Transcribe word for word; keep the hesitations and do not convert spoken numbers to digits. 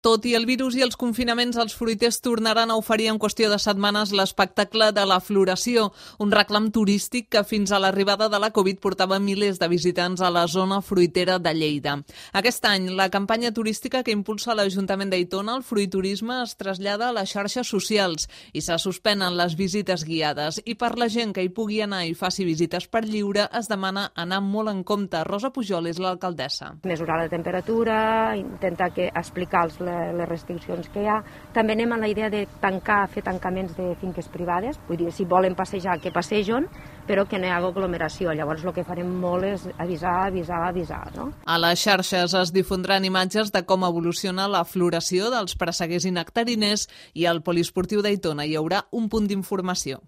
Tot i el virus i els confinaments, els fruiters tornaran a oferir en qüestió de setmanes l'espectacle de la floració, un reclam turístic que fins a l'arribada de la Covid portava milers de visitants a la zona fruitera de Lleida. Aquest any, la campanya turística que impulsa l'Ajuntament d'Aitona, el fruiturisme, es trasllada a les xarxes socials i se suspenen les visites guiades. I per la gent que hi pugui anar i faci visites per lliure, es demana anar molt en compte. Rosa Pujol és l'alcaldessa. Mesurar la temperatura, intentar que explicar els les restriccions que hi ha. També anem a la idea de tancar, fer tancaments de finques privades, vull dir, si volen passejar, que passegen, però que no hi hagi aglomeració. Llavors el que farem molt és avisar, avisar, avisar, no? A les xarxes es difondran imatges de com evoluciona la floració dels presseguers i nectariners i al poliesportiu d'Aitona hi haurà un punt d'informació.